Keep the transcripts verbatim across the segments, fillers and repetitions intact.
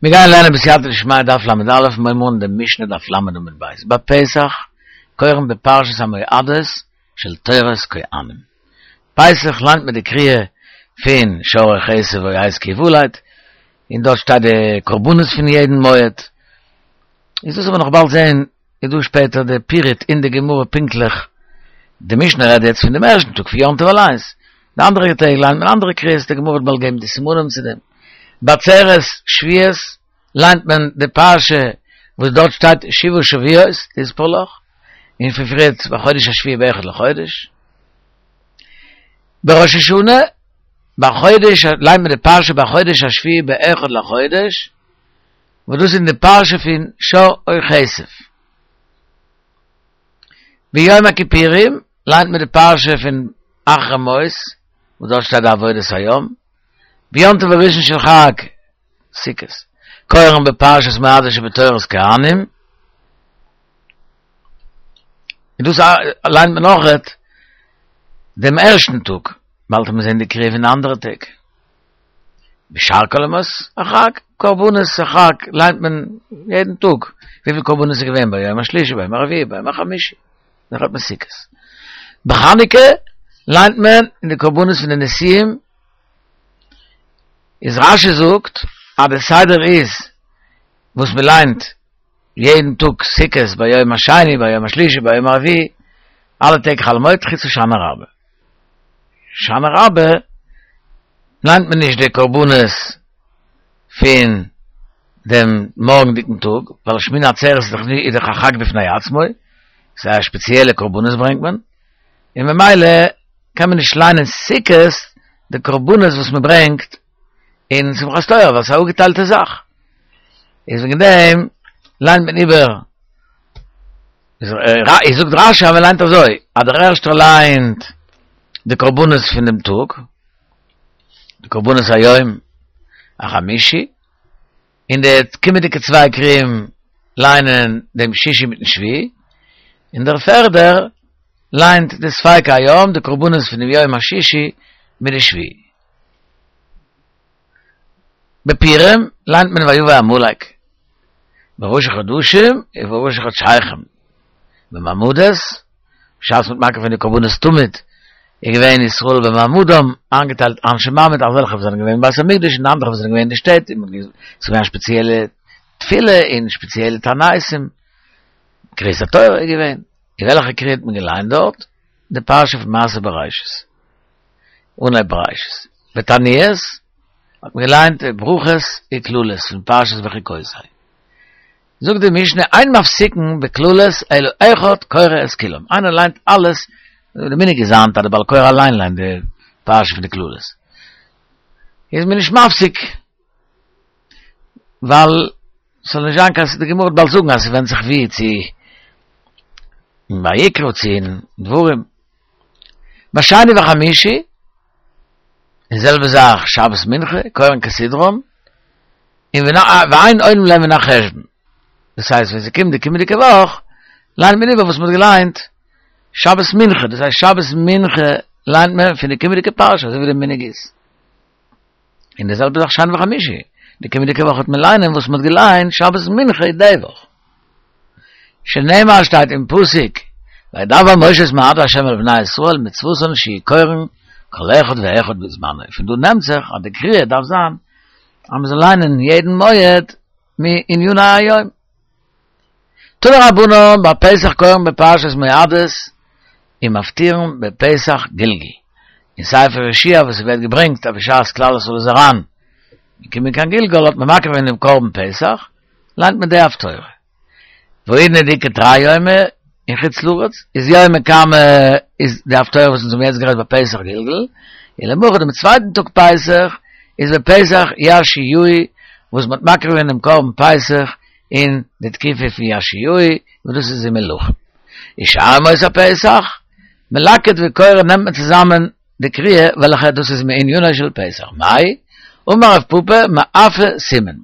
מיר גייען לערנען בסייעתא דשמיא דף ל"א, מיר הייבן אן דעם משנה דף ל' עמוד ב'. בפסח קורין בפרשת המועדות של תורת כהנים. פסח ליינט מען די קריאה פון שור או כשב או עז כי יולד, און דארט שטייט די קרבנות פון יעדן מועד. איז דאס וועט מען נאך באלד זען איז דא שפעטער די פירוט אין די גמרא פונקטליך. די משנה רעדט יעצט פון דעם ערשטן טאג פון יום טוב אליינס, די אנדערע טעג ליינט מען אנדערע קריאות, די גמרא וועט באלד געבן די סימנים צו דעם. בעצרת שבועות ליינט מען די פרשה וואס דארט שטייט שבעה שבועות תספר לך, און פון פריערט בחודש השביעי באחד לחודש. בראש השנה בחודש ליינט מען די פרשה בחודש השביעי באחד לחודש, וואס דאס איז אין די פרשה פון שור או כשב. ביום הכיפורים ליינט מען די פרשה פון אחרי מות, וואס דארט שטייט די עבודת היום. ביום טוב הראשון של חג סוכות קורין בפרשת מועדות שבתורת כהנים, און דאס ליינט מען אויכעט דעם ערשטן טאג, באלד וועט מען זען די קריאה פון די אנדערע טעג. בשאר כל ימות החג, קרבנות החג ליינט מען יעדן טאג, וויפיל קרבנות איז געווען ביום השלישי, ביום הרביעי, ביום החמישי, דאן האט מען סוכות. בחנוכה ליינט מען אין די קרבנות פון די נשיאים, איז רשי זאגט אז די סדר איז וואס מען ליינט יעדן טאג סוכות ביום השני, ביום השלישי, ביום הרביעי, אלע טעג חול המועד חוץ הושענא רבה. הושענא רבה ליינט מען נישט די קרבנות פון דעם מארגנדיגן טאג, ווייל שמיני עצרת איז דאך א חג בפני עצמו, ס'איז א שפעציעלע קרבנות ברענגט מען, און ממילא קען מען נישט ליינען סוכות די קרבנות וואס מען ברענגט אין שמחת תורה, ווייל ס'איז א אפגעטיילטע זאך. איז וועגן דעם ליינט מען איבער, איז זאגט רשי אז מען ליינט אזוי, אז דער ערשטער ליינט די קרבנות פון דעם טאג, די קרבנות היום החמישי, און די קומענדיגע צוויי קרואים ליינען דעם שישי מיטן שביעי, און דער פערדער ליינט די ספיקי היום, די קרבנות פון דעם יום השישי מיט די שביעי. בפורים ליינט מען ויבא עמלק, בראשי חדשים ובראשי חדשיכם, במעמדות, בשעת מ'האט מקריב געווען די קרבנות תמיד, איז געווען ישראל במעמדם, איינגעטיילט אנשי מעמד, אזעלכע וואס זענען געווען אין בית המקדש און אנדערע וואס זענען געווען אין די שטעט, און ס'איז געווען א שפעציעלע תפילה און שפעציעלע תעניתים, קריאת התורה איז געווען, און וועלכע קריאה האט מען געליינט דארט? די פרשה פון מעשה בראשית, אנהייב בראשית, בתעניות האט מען געליינט די ברכות וקללות פון פרשת בחוקותי. זאגט די משנה אין מפסיקין בקללות אלא אחד קורא את כולם, איינער ליינט אלעס, די מנהג איז היינט אז די בעל קורא אליין ליינט די פרשה פון די קללות, איז מען נישט מפסיק, ווייל ס'זאל נישט זיין קיין, די גמרא וועט באלד זאגן אז ס'ווענדט זיך ווי, צו אין ויקרא צו אין דברים. בשני וחמישי, די זעלבע זאך שבת מנחה, קורין כסדרן, און ואין עונין להם מן החשבון. דאס הייסט ווען ס'קומט די קומענדיגע וואך, ליינט מען איבער וואס מ'האט געליינט שבת מנחה, דאס הייסט שבת מנחה ליינט מען פון די קומענדיגע פרשה, אזוי ווי די מנהג איז. און די זעלבע זאך שני וחמישי, די קומענדיגע וואך וועט מען ליינען וואס מ'האט געליינט שבת מנחה די וואך. שנאמר שטייט אין פסוק, וידבר משה את מועדי ה' אל בני ישראל מצוותן שיהו קורין כל אחד ואחד בזמנו, פון דא נעמט זיך אז די קריאה דארף זיין אז מ'זאל ליינען יעדן מועד מעניני היום. תנו רבנן בפסח קורין בפרשת מועדות ומפטירין בפסח גלגול. אין ספר יהושע וואס ס'ווערט געברענגט אז בשעת כלל ישראל איז אריין געקומען קיין גלגל האט מען מקריב געווען דעם קרבן פסח, ליינט מען די הפטורה. והאידנא דאיכא תרי יומי אין חוץ לארץ איז יומא קמא איז די הפטורה וואס אונז האבן יעצט גערעדט בפסח גלגול, און למחר דעם צווייטן טאג פסח איז בפסח יאשיהו וואס מ'האט מקריב געווען דעם קרבן פסח אין די תקופה פון יאשיהו וואס דאס איז אין מלכים. ושאר ימות הפסח, מלקט וקורא נעמט מען צוזאמען די קריאה וועלכע דאס איז מענינו של פסח, מאי? אמר רב פפא מאפי סימן,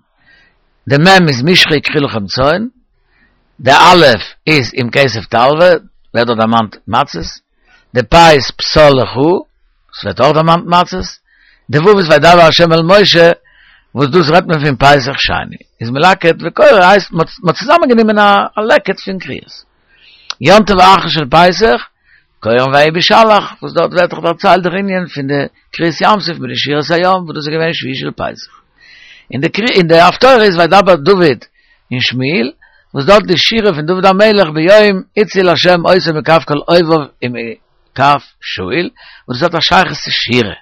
די מ' איז משכו וקחו לכם צאן, די א' איז אם כסף תלוה, ווערט דארט דערמאנט מצות, די פ' איז פסל לך, ס'ווערט אויך דערמאנט מצות, די ו' איז וידבר ה' אל משה, וואס דאס רעדט מען פון פסח שני. איז מלקט וקורא הייסט מ'האט צוזאמענגענומען א לקט פון קריאות. יום טוב האחרון של פסח, קורין ויהי בשלח, וואס דארט ווערט דאך דערציילט דער ענין פון די קריעת ים סוף מיט די שירת הים, וואס דאס איז געווען שביעי של פסח. אין די אין די הפטורה איז וידבר דוד און שמואל, וואס דארט די שירה פון דוד המלך ביום הציל השם אותו מכף כל אויביו ומכף שאול, וואס דאס האט א שייכות צו שירה.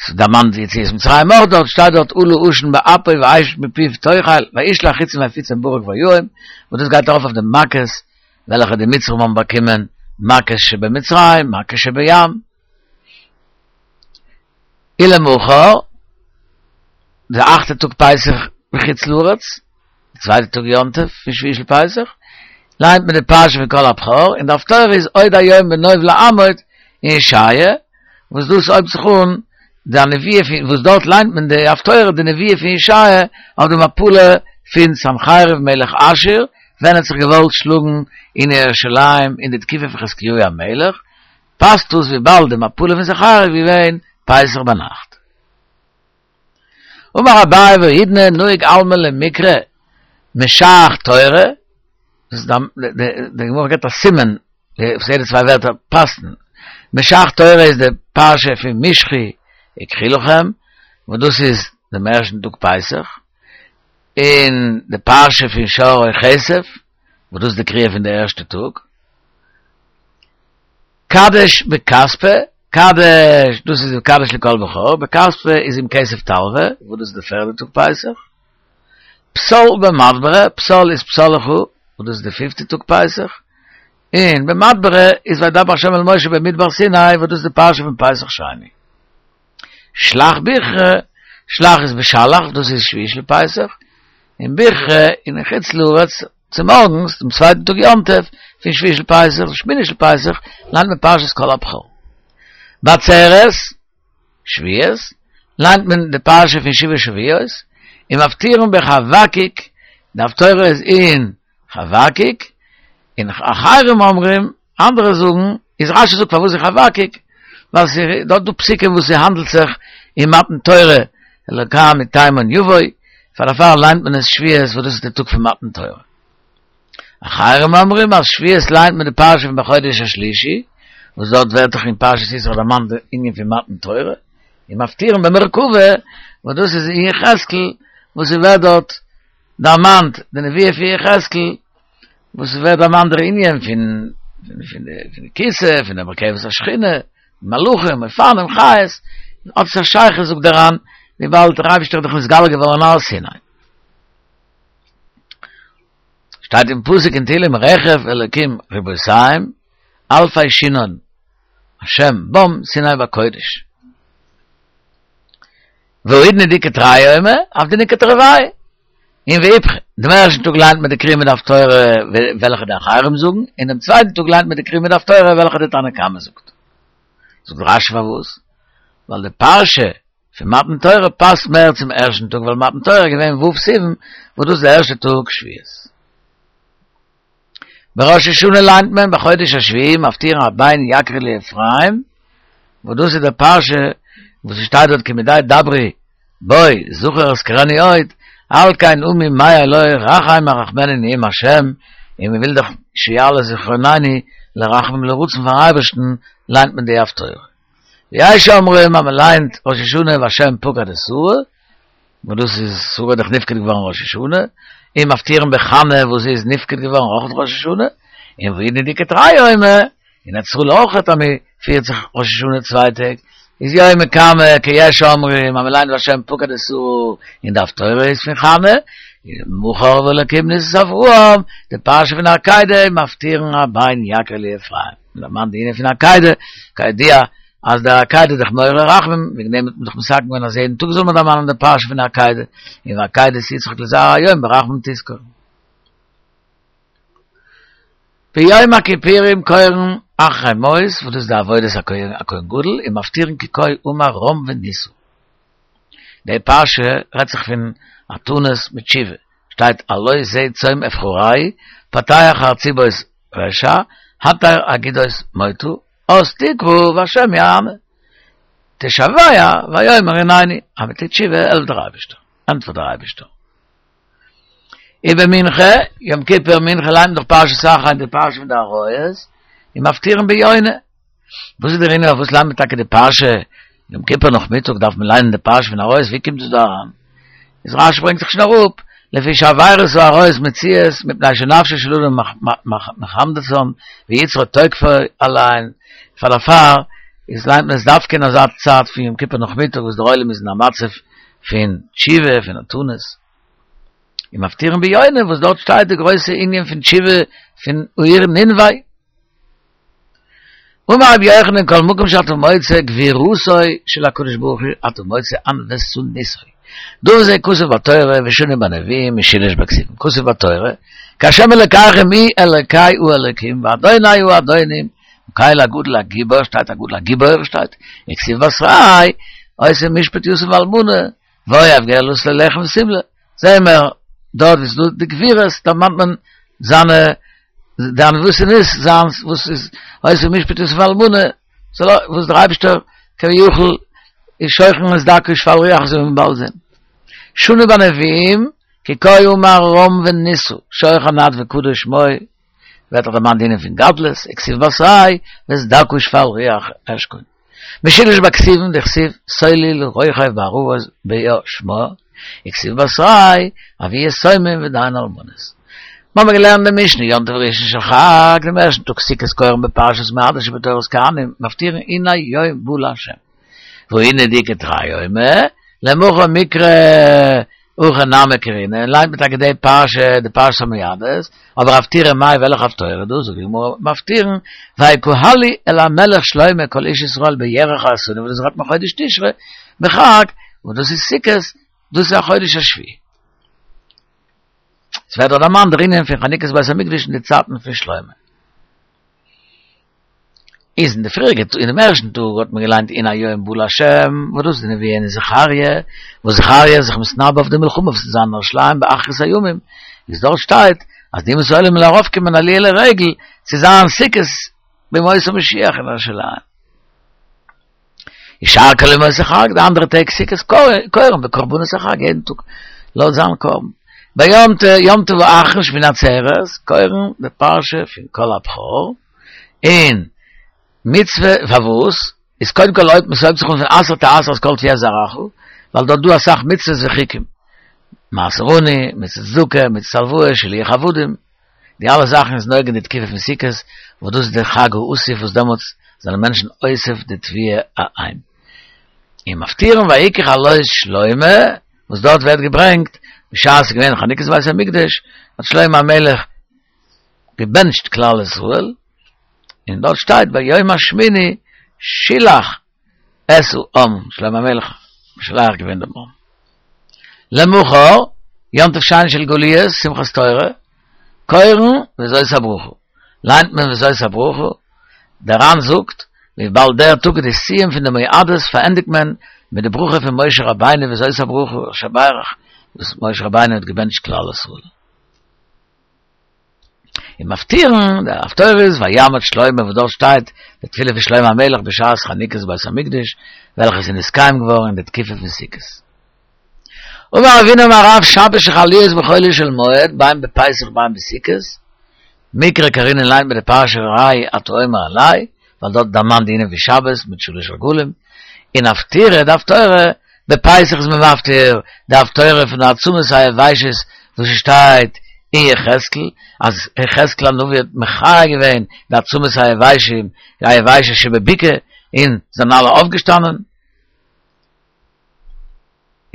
ס'דערמאנט יציאת מצרים אויך דארט, שטייט דארט עלה עשן באפו ואש מפיו תאכל, וישלח חצים ויפיצם ברק ויהם, וואס דאס גייט ארויף אויף די מכות וועלכע די מצרים האבן באקומען, מכות שבמצרים, מכות שבים. ולמחר, די אכטע טאג פסח בחוץ לארץ, די צווייטע טאג יום טוב פון שביעי של פסח, ליינט מען די פרשה פון כל הבכור, און די הפטורה איז עוד היום בנוב לעמוד אין ישעיה, וואס דאס הויבט זיך אן די נבואה פון וואס דארט ליינט מען די הפטורה די נבואה פון ישעיה אויף די מפלה פון סנחריב מלך אשור ווען ער האט זיך געוואלט שלאגן אין ירושלים אין די תקופה פון חזקיהו המלך, פאסט דאס וויבאלד די מפלה פון סנחריב איז געווען פסח ביינאכט. אמר אביי והאידנא נהוג עלמא למיקרי משאך תורה, דאס די גמרא געבט א סימן וואס יעדע צוויי ווערטער פאסן, משאך תורה איז די פרשה פון משכו וקחו לכם, וואס דאס איז דעם ערשטן טאג פסח, און די פרשה פון שור או כסף, וואס דאס איז די קריאה פון די ערשטע טאג, קדש בכספא, קדש, דאס איז קדש לכל בכור, בכספא איז אם כסף תלוה, וואס דאס איז די פערדע טאג פסח, פסל במדברא, פסל איז פסל לך, וואס דאס איז די פיפטע טאג פסח, און במדברא איז וידבר ה' אל משה במדבר סיני, וואס דאס איז די פרשה פון פסח שני. שלח בכרא, שלח איז בשלח, דאס איז שביעי של פסח, און בכרא אין חוץ לארץ, צומארגנס, דעם צווייטן טאג יום טוב, פון שביעי של פסח, שמיני של פסח, ליינט מען פרשת כל הבכור. בעצרת, שבועות, ליינט מען די פרשה פון שבעה שבועות, און מפטירין בחבקוק, די הפטורה איז אין חבקוק, און אחרים אומרים, אנדערע זאגן, איז רשי זאגט פארוואס אין חבקוק, ווייל ס'איז דארט דא פסוקים וואס ס'האנדלט זיך אין מתן תורה, אלוקה מתימן יבוא, פאר דערפאר ליינט מען עס שבועות וואס דאס איז די טאג פון מתן תורה. אחרים אומרים אז שבועות ליינט מען די פרשה פון בחודש השלישי, וואס דארט ווערט דאך אין פרשת יתרו דערמאנט די ענין פון מתן תורה, און מפטירין במרכבה, וואס דאס איז אין יחזקאל, וואס ס'ווערט דארט דערמאנט די נבואה פון יחזקאל, וואס ס'ווערט דערמאנט דער ענין פון פון די כסא, פון די מרכבת השכינה, מלאכים, אופנים, חיות, האט עס א שייכות זאגט דער ר"ן, וויבאלד דער אייבערשטער איז דאך נתגלה געווארן אין הר סיני. שטייט אין פסוק אין תהילים רכב אלוקים רבותים אלפי שנאן השם בם סיני בקודש. והאידנא דאיכא תרי יומי עבדינהו כתרוייהו. און ואיפכא, דעם ערשטן טאג ליינט מען די קריאה מיט די הפטורה וועלכע די אחרים זאגן, און דעם צווייטן טאג ליינט מען די קריאה מיט די הפטורה וועלכע די תנא קמא זאגט. זאגט רשי פארוואס? ווייל די פרשה פון מתן תורה פאסט מער צום ערשטן טאג ווייל מתן תורה איז געווען ו' סיוון וואס דאס איז די ערשטע טאג שבועות. בראש השנה ליינט מען בחודש השביעי מפטירין הבן יקיר לי אפרים, וואס דאס איז די פרשה וואס עס שטייט דארט כי מדי דברי בו זכור אזכרנו עוד, על כן עמי מעי לו רחם ארחמנו נאום השם, און מען וויל דאך שיעלה זכרוננו לרחמים לרצון פארן אייבערשטן ליינט מען די הפטורה. ויש אומרים אז מען ליינט ראש השנה והשם פקד את שרה, וואס דאס איז שרה איז דאך נפקד געווארן ראש השנה, און מפטירין בחנה וואס זי איז נפקד געווארן אויך ראש השנה, און והאידנא דאיכא תרי יומי, אין ארץ ישראל אויך אז מען פירט זיך ראש השנה צוויי טעג, איז יומא קמא כיש אומרים אז מען ליינט והשם פקד את שרה און די הפטורה איז פון חנה, מחר והאלקים נסה את אברהם, די פרשה פון עקידה מפטירין הבן יקיר לי אפרים, מען דערמאנט די ענין פון עקידה, כידוע אז דער עקידה איז דאך מעורר רחמים, וועגן דעם האט מען דאך מתקן געווען אז יעדן טאג זאל מען דערמאנען די פרשה פון עקידה, און ועקידת יצחק לזרע היום ברחמים תזכור. ביום הכיפורים קורין אחרי מות, וואס דאס איז די עבודת הכהן גדול, און מפטירין כי כה אמר רם ונישא. די פרשה רעדט זיך פון א תענית מיט תשובה, שטייט הלא זה צום אבחרהו, פתח חרצובות רשע, התר אגודות מוטה, אז תקרא והשם יענה. תשוע ויאמר הנני, אז מ'טוט תשובה העלפט דער אייבערשטער. ענטפערט דער אייבערשטער. ובמנחה, יום כיפור מנחה ליינט מען דאך פרשת אחרי די פרשה פון די עריות, און מפטירין ביונה. וואס איז דער ענין פארוואס ליינט מען טאקע די פרשה יום כיפור נאכמיטאג דארף מען ליינען די פרשה פון עריות, ווי קומט דאס דא אריין? איז רשי ברענגט זיך שוין אראפ, לפי שעבירות העריות מצויות מפני שנפשו של אדם מחמדתן ויצרו תוקפו עליהן, פאר דערפאר איז ליינט מען עס דווקא אין אזא צייט פון יום כיפור נאכמיטאג וואס דער עולם איז אין א מצב פון תשובה, פון מתנות. און מפטירין ביונה וואס דארט שטייט די גרויסע ענין פון תשובה פון העיר נינווה. אמר רבי יוחנן כל מקום שאתה מוצא גבורתו של הקדוש ברוך הוא אתה מוצא ענוותנותו. דבר זה כתוב בתורה ושנוי בנביאים ושילש בכתובים. כתוב בתורה כי השם אלוקיכם הוא אלוקי האלוקים ואדוני האדונים הקל הגדול הגיבור שטייט הגדול הגיבור שטייט וכתיב בתריה עושה משפט יתום ואלמנה ואוהב גר לתת לו לחם ושמלה זעהן מיר דארט ווי ס'דא די גבורות דערמאנט מען זיינע די ענוותנות זיינס וואס איז עושה משפט יתום ואלמנה וואס דער אייבערשטער כביכול איז שוכן את דכא ושפל רוח אזוי ווי מ'וועט באלד זעהן. שנוי בנביאים כי כה אמר רם ונשא שוכן עד וקדוש שמו ווערט דאך דערמאנט די ענין פון גדלות וכתיב בתריה ואת דכא ושפל רוח אשכון. משולש בכתובים דכתיב סולו לרוכב בערבות באשמה וכתיב בתריה אבי יתומים ודיין אלמנות. מ'האמיר געלערנט די משנה יום טוב ראשון של חג, דעם ערשטן טאג סוכות קורין בפרשת מועדות שבתורת כהנים, מפטירין הנה יום בא לה'. והאינהו דאיכא תרי יומי, למחר מיקרי הכי נמי קרינן, ליינט מען טאקע די פרשה, די פרשת המועדות, אבער הפטירה מאי וועלכע הפטורה דא, זאגט די גמרא מפטירין, ויקהלו אל המלך שלמה כל איש ישראל בירח האיתנים וואס דאס רעדט מען חודש תשרי בחג, וואס דאס איז סוכות, דאס איז א חודש השביעי. עס ווערט דארט דערמאנט דער ענין פון חנוכת בית המקדש אין די צייטן פון שלמה. איז אין די פריעריגע אין דעם ערשטן טאג האט מען געליינט הנה היום בא לה', וואס דאס איז די נבואה אין זכריה, וואס זכריה איז זיך מתנבא אויף די מלחמה וואס וועט זיין אין ירושלים באחרית הימים, איז דארט שטייט אז די אומות העולם וועלן ארויפקומען עליה לרגל צו זיין סוכות בימות המשיח אין ירושלים. ושאר כל ימות החג, די אנדערע טעג סוכות קורין בקרבנות החג, יעדן טאג לויט זיין קרבן. ביום יום טוב האחרון שמיני עצרת, קורין די פרשה פון כל הבכור, און מצוה פארוואס, איז קודם כל אויב ס'הויבט זיך אן פון עשר תעשר את כל תבואת זרעך, ווייל דארט דא אסאך מצוות וחוקים, מעשר עני, מצות צדקה, מצות הלוואה, שילוח עבדים, די אלע זאכן איז נוגע אין די תקופה פון סוכות, וואס דאס איז די חג האסיף וואס דעמאלטס זענען מענטשן אוסף די תבואה אהיים. און מפטירין ויהי ככלות שלמה, וואס דארט ווערט געברענגט, בשעת ס'איז געווען חנוכת בית המקדש, האט שלמה המלך געבענטשט כלל ישראל, און דארט שטייט ביום השמיני שילח את העם, שלמה המלך משלח געווען דעם עם. למחר, יום טוב שני של גלויות, שמחת תורה, קורין וזאת הברכה. ליינט מען וזאת הברכה, דער ר"ן זאגט, וויבאלד דער טאג איז די סיום פון די מועדות פארענדיגט מען מיט די ברכה פון משה רבינו וזאת הברכה אשר ברך, וואס משה רבינו האט געבענטשט כלל ישראל. און מפטירין, די הפטורה איז ויעמוד שלמה וואס דארט שטייט די תפילה פון שלמה המלך בשעת חנוכת בית המקדש וועלכע איז נתקיים געווארן אין די תקופה פון סוכות. אמר רב הונא אמר רב שבת שחל להיות בחולו של מועד בין בפסח בין בסוכות, מיקרי קרינן ליינט מען די פרשה ראה אתה אומר אלי, ווייל דארט דערמאנט די ענין פון שבת מיט שלש רגלים, און הפטירה די הפטורה בפסח איז מען מפטיר די הפטורה פון די עצמות היבשות וואס שטייט אין יחזקאל אז יחזקאל הנביא האט מחיה געווען די עצמות היבשים היבשות שבבקעה און זענען אלע אויפגעשטאנען.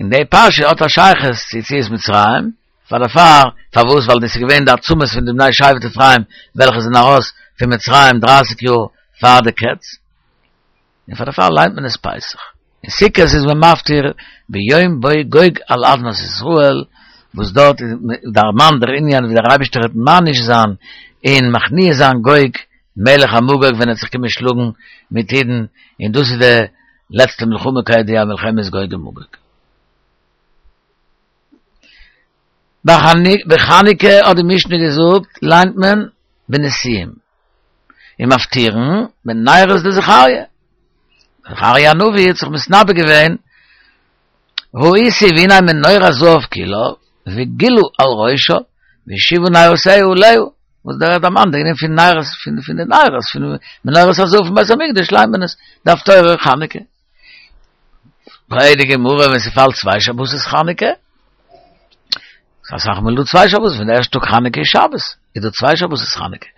און די פרשה האט א שייכות צו יציאת מצרים, פאר דערפאר, פארוואס ווייל דאס איז געווען די עצמות פון די בני שבט אפרים וועלכע זענען ארויס פון מצרים דרייסיג יאר פאר די קץ, און פאר דערפאר ליינט מען עס פסח. אין סוכות איז מען מפטיר ביום בא גוג על אדמת ישראל, וואס דארט איז דערמאנט דער ענין ווי דער אייבערשטער וועט מעניש זיין און מכניע זיין גוג מלך המגוג ווען ער וועט זיך קומען שלאגן מיט אידן, און דאס איז די לעצטע מלחמה כידוע מלחמת גוג ומגוג. בחנוכה האט די משנה געזאגט ליינט מען בנשיאים און מפטירין בנרות דזכריה. זכריה הנביא האט זיך מתנבא געווען ראיתי והנה מנורת זהב כולה, וגילו על ראשו, והשיבו נרותיה עליה. וואס דער דערמאנט, דער ענין פון נרות, פון פון די נרות, פון מנורת הזהב פון בית המקדש, ליינט מען עס, די הפטורה חנוכה. פרעגט די גמרא, ווען ס'פאלט צוויי שבתות חנוכה, אסאך מאל דא צוויי שבתות, ווען דער ערשטער טאג חנוכה איז שבת, איז דא צוויי שבתות חנוכה.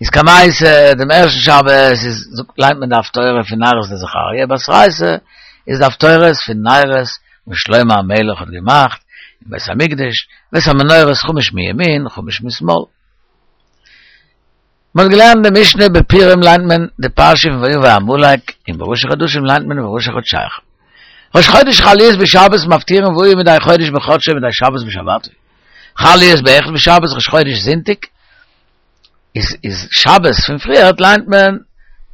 איז קמייתא, דעם ערשטן שבת איז, ליינט מען די הפטורה פון נרות דזכריה, בתרייתא איז די הפטורות פון נרות וואס שלמה המלך האט געמאכט אין בית המקדש, ואת המנורות חמש מימין חמש משמאל. מ'האט געלערנט די משנה בפורים ליינט מען די פרשה פון ויבא עמלק, און בראשי חדשים ליינט מען וראשי חדשיכם. ראש חודש חל להיות בשבת מפטירין והוא מדי חודש בחדשו מדי שבת בשבתו. חל להיות באחד בשבת ראש חודש זונטאג איז איז שבת פון פריערט ליינט מען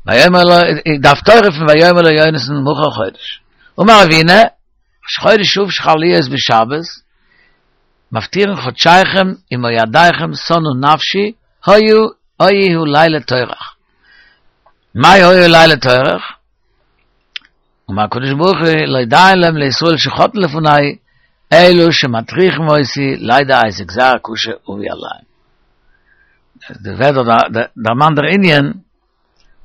ויאמר לו די הפטורה פון ויאמר לו יונתן מחר חודש. אמר אבינא ראש חודש שוב שחל להיות בשבת מפטירין חדשיכם ומועדיכם שנאה נפשי היו היו לילה טורח. מאי היו לילה טורח? אמר הקדוש ברוך הוא לא די להם לישראל שחטאו לפני אלא שמטריחים אותי לידע איזה גזירה קשה אביא עליהם. דער ווערט דערמאנט דער ענין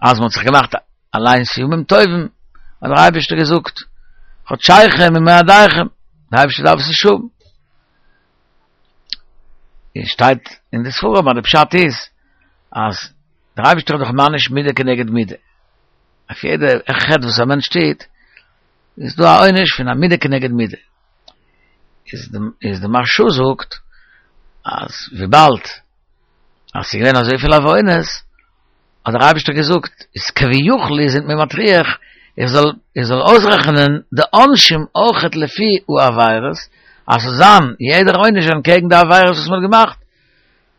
אז מ'האט זיך געמאכט אליינס ימים טובים, האט דער אייבערשטער געזאגט חדשיכם ומועדיכם, דער אייבערשטער דארף עס נישט האבן. און שטייט אין די ספרים אז די פשט איז אז דער אייבערשטער האט דאך מעניש מידה כנגד מידה. אויף יעדע חטא וואס א מענטש טוט איז דא א עונש פון א מידה כנגד מידה. איז די איז די מהרשא זאגט אז וויבאלד אז ס'איז געווען אזויפיל עוונות האט דער אייבערשטער געזאגט איז כביכול איר זענט מיר מטריח איך זאל איך זאל אויסרעכענען די עונשים אויכעט לפי העבירות אז ס'זאל זיין יעדער עונש אנטקעגן די עבירות וואס מ'האט געמאכט.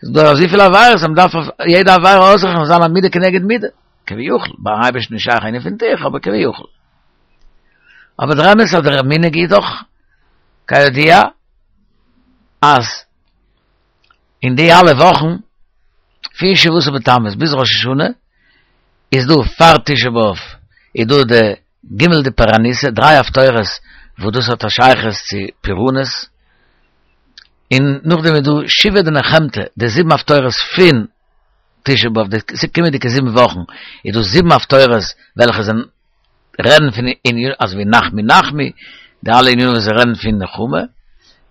ס'איז דא אזויפיל עבירות אז מ'דארף אויף יעדע עבירה אויסרעכענען זאל זיין א מידה כנגד מידה. כביכול, ביים אייבערשטן איז שייך ענין פון טירחא, אבער כביכול. אבער דער אמת אז דער מנהג איז דאך כידוע אז אין די אלע וואכן פון שבעה עשר בתמוז ביז ראש השנה איז דא פאר תשעה באב איז דא די ג' דפורענותא, דריי הפטורות וואס דאס האט א שייכות צו פורענות, און נאכדעם איז דא שבעה דנחמתא, די זיבן הפטורות פון תשעה באב, די קומענדיגע זיבן וואכן איז דא זיבן הפטורות וועלכע זענען רעדן פון ענינים אזוי ווי נחמו נחמו, די אלע ענינים וואס רעדן פון נחמה,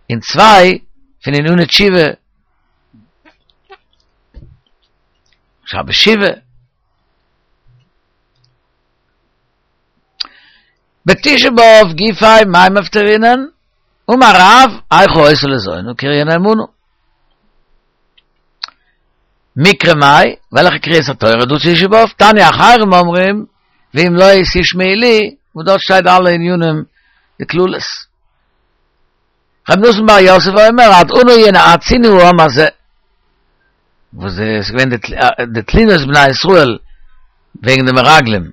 און צוויי פון עניני תשובה, שבת שובה. בתשעה באב גופיה מאי מפטרינן, אמר רב, איכה היתה לזונה קריה נאמנה. מקרא מאי, וועלכע קריאת התורה דא תשעה באב? תניא אחרים אומרים, ואם לא תשמעו לי, וואס דארט שטייט אלע ענינים די קללות. רבי נתן בר יוסף אומר, עד אנה ינאצוני העם הזה. וואס איז געווען די תלונות בני ישראל וועגן די מרגלים.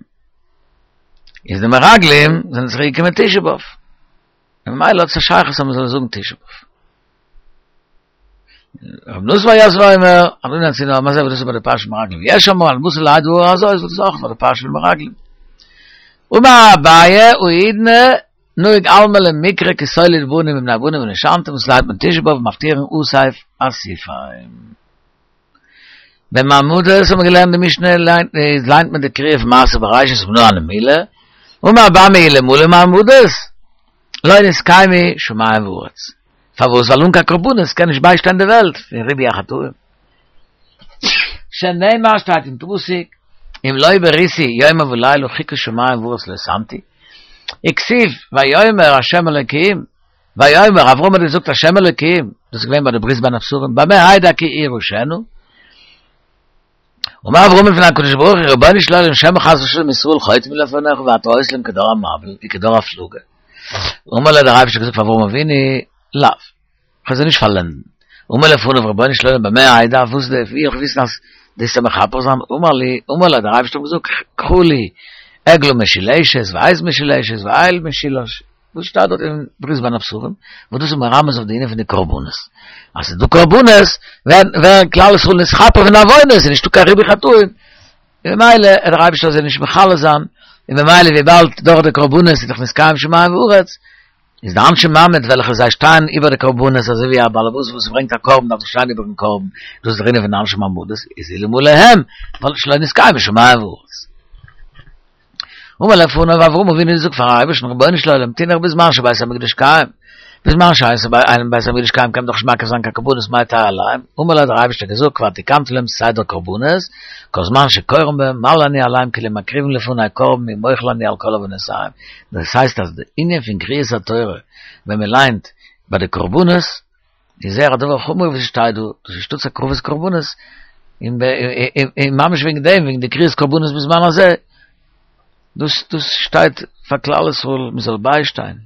איז די מרגלים זענען צוריק געקומען תשעה באב. און ממילא האט עס א שייכות אז מען זאל זאגן תשעה באב. רבי נתן בר יוסף אומר, עד אנה ינאצוני העם הזה, וואס דאס איז ביי די פרשת מרגלים. ויש אומרים, עד מתי להעיד הרעה הזאת, וואס דאס איז אויך ביי די פרשה פון מרגלים. אמר אביי, האידנא נהוג עלמא למיקרי כי תוליד בנים ובני בנים ונושנתם, וואס לייענט מען תשעה באב מפטירין אסף אסיפם. במעמדות האט מען געלערנט די משנה ליינט מען די קריאה פון מעשה בראשית ומנא הני מילי, אמר אמי אלמלא מעמדות לא נתקיימו שמים וארץ. פארוואס? ווייל אן קיין קרבנות קען נישט ביישטיין די וועלט פון ריבוי החטאים. שנאמר שטייט אין פסוק אם לא בריתי יומם ולילה חוקות שמים וארץ לא שמתי, וכתיב ויאמר ה' אלוקים, ויאמר אברהם האט געזאגט ה' אלוקים, דאס איז געווען ביי די ברית בין הבתרים, במה אדע כי אירשנה? אמר אברהם לפני הקדוש ברוך הוא רבונו של עולם שמא חס ושלום ישראל חוטאים לפניך ואתה עושה להם כדור המבול וכדור הפלגה. אמר לו דער אייבערשטער האט געזאגט פאר אברהם אבינו לאו, כ'וועל זיי נישט פארלענדן. אמר לפניו רבונו של עולם במה אדע, וואס ווי וועל איך וויסן אז דו וועסט מכפר זיין, אמר לי, אמר לו דער אייבערשטער האט געזאגט קחה לי עגלה משולשת ועז משולשת ואיל משולש, וואס שטייט דארט אין ברית בין הבתרים, וואס דאס איז מרמז אויף די ענין פון די קרבנות, אז ס'איז דא קרבנות ווערן כלל ישראל נתכפר פון די עוונות, איז נישטא קיין ריבוי חטאים, און ממילא וועט דער אייבערשטער זיי נישט מכלה זיין, און ממילא וויבאלד דורך די קרבנות איז דאך נתקיים שמים וארץ, איז די אנשי מעמד וועלכע זיי שטייען איבער די קרבנות אזוי ווי א באלעבאס וואס ברענגט א קרבן דארף דאך שטיין איבערן קרבן, דאס איז דער ענין פון אנשי מעמדות, איז אלמלא הם וואלט שלא נתקיימו שמים וארץ. אמר לפניו אברהם אבינו זאגט פארן אייבערשטן רבונו של עולם תינח בזמן שבית המקדש קיים, בזמן שאין בית המקדש קיים קען מען דאך נישט מקריב זיין קיין קרבנות מאי תהא עליהם, אמר לו האט דער אייבערשטער געזאגט כבר תיקנתי להם סדר קרבנות, כל זמן שקורין בהם מל אני עליהם כאילו מקריבין לפני קרבן ומוחל אני על כל עוונותיהם, דאס הייסט אז די ענין פון קריאת התורה ווען מען ליינט ביי די קרבנות איז זייער א דבר חמור וואס שטייט דא, דאס איז שטאטס הקרבת קרבנות, און ממש וועגן דעם וועגן די קריאת קרבנות בזמן הזה, דאס דאס שטייט פאר כלל ישראל מען זאל ביישטיין.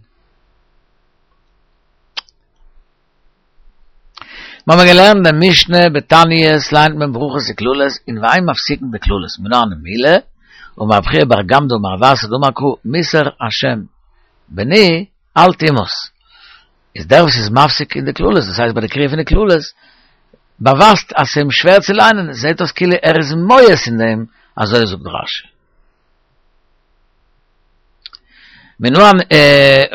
מיר האבן געלערנט די משנה בתעניות ליינט מען ברכות וקללות און ואין מפסיקין בקללות מנא הני מילי אמר רב חייא בר גמדא אמר רב אסי דאמר קרא מוסר השם בני אל תמאס איז דער וואס איז מפסיק אין די קללות דאס הייסט ביי די קריאה פון די קללות באווייזט אז ס'איז אים שווער צו ליינען זעהט אויס כאילו ער איז מואס אין דעם אזוי זאגט רשי. מנא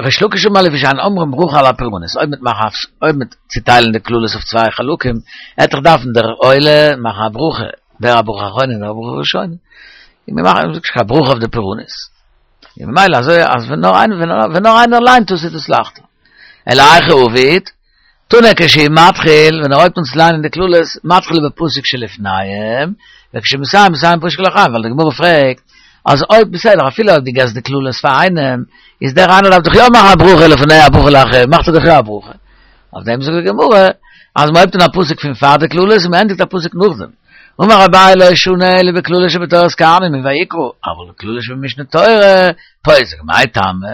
ריש לקיש אמר לפי שאין אומרים ברכה על הפורענות, אויב מ'וועט מאכן אויב מ'וועט צוטיילן די קללות אויף צוויי חלקים, עט דאך דארפן דער עולה מאכן א ברכה, דער א ברכה אחרונה און דער א ברכה ראשונה, און מיר מאכן נישט קיין ברכה אויף די פורענות, און ממילא אזוי אז ווען נאר איינער ווען נאר איינער ליינט עס איז דאס לייכטער. אלא היכי עביד, תנא כשהוא מתחיל, ווען ער הויבט אן צו ליינען די קללות, מתחיל בפסוק שלפניהם, וכשמסיים מסיים בפסוק שלאחריהם, ווייל די גמרא פרעגט, אז אויב בסדר אפילו אויב דו געסט די קללות פאר איינעם, איז דער איינער דארף דאך יא מאכן א ברכה לפניהם א ברכה לאחריהם, מאכט ער דאך יא א ברכה. אויף דעם זאגט די גמרא, אז מען הויבט אן א פסוק פון פאר די קללות און מען ענדיגט א פסוק נאכדעם. אמר אביי לא שנו אלא בקללות שבתורת כהנים אין ויקרא, אבל בקללות שבמשנה תורה, פוסק, מאי טעמא?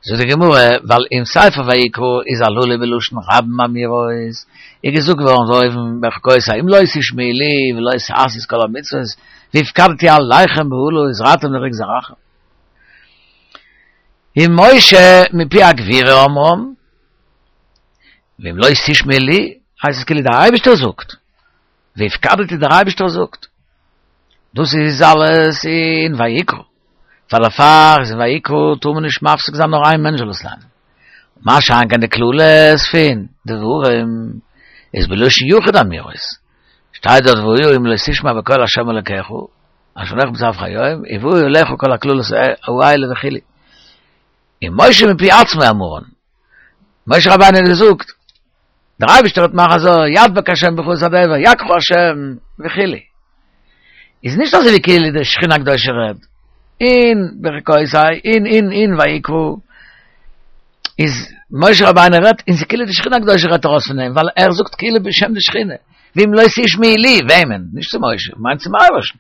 זאגט די גמרא, ווייל אין ספר ויקרא איז הללו בלשון רבים אמירות, איז געזאגט געווארן דא אויבן בחוקותי אם לא תשמעו לי ולא תעשו את כל המצוות והפקדתי עליכם באהלה וזרעתם לריק זרעכם. ומשה מפי הגבורה אמרם, ואם לא תשמעו לי, הייסט עס כאילו דער אייבערשטער זאגט, והפקדתי דער אייבערשטער זאגט. דאס איז אלעס אין ויקרא. פאר דערפאר איז אין ויקרא טאר מען נישט מפסיק זיין נאר איין מענטש זאל עס ליינען. מה שאין כן די קללות פון דברים איז בלשון יחיד אמירות. שטייט דארט והיה אם לא תשמע בקול ה' אלקיך אשר אנכי מצוך היום ובאו עליך כל הקללות האלה וכו'. ומשה מפי עצמו אמרן. משה רבינו האט געזאגט, דער אייבערשטער וועט מאכן אזוי, ידבק השם בך את הדבר, יכך השם וכו'. איז נישט אזוי ווי כאילו די שכינה הקדושה רעדט אין בחוקותי אין אין אין ויקרא איז משה רבינו רעדט און ס'איז כאילו די שכינה הקדושה רעדט ארויס פון אים ווייל ער זאגט כאילו בשם די שכינה ואם לא תשמעו לי וועמען? נישט צו משה, מיינט צום אייבערשטן.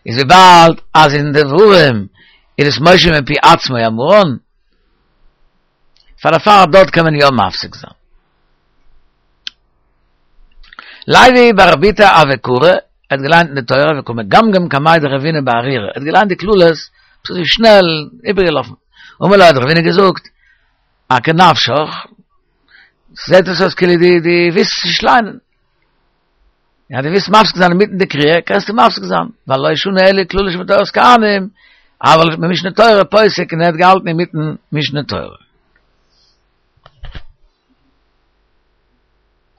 איז וויבאלד אז אין דברים איז עס משה מפי עצמו אמרן פאר דערפאר דארט קען מען יא מפסיק זיין. לוי בר בוטא הוה קרי, ער האט געליינט אין די תורה וקא מגמגם קמיה דרבינא בארירא, ער האט געליינט די קללות אזוי שנעל איבערגעלאפן, אמר ליה האט רבינא געזאגט, אכי נפשך, זעט עס אויס כאילו דו דו ווילסט נישט ליינען. יא דו ווילסט מפסיק זיין אינמיטן די קריאה, קענסטו מפסיק זיין, ווייל לא שנו אלא קללות שבתורת כהנים, אבל במשנה תורה פוסק און ער האט געהאלטן אינמיטן משנה תורה.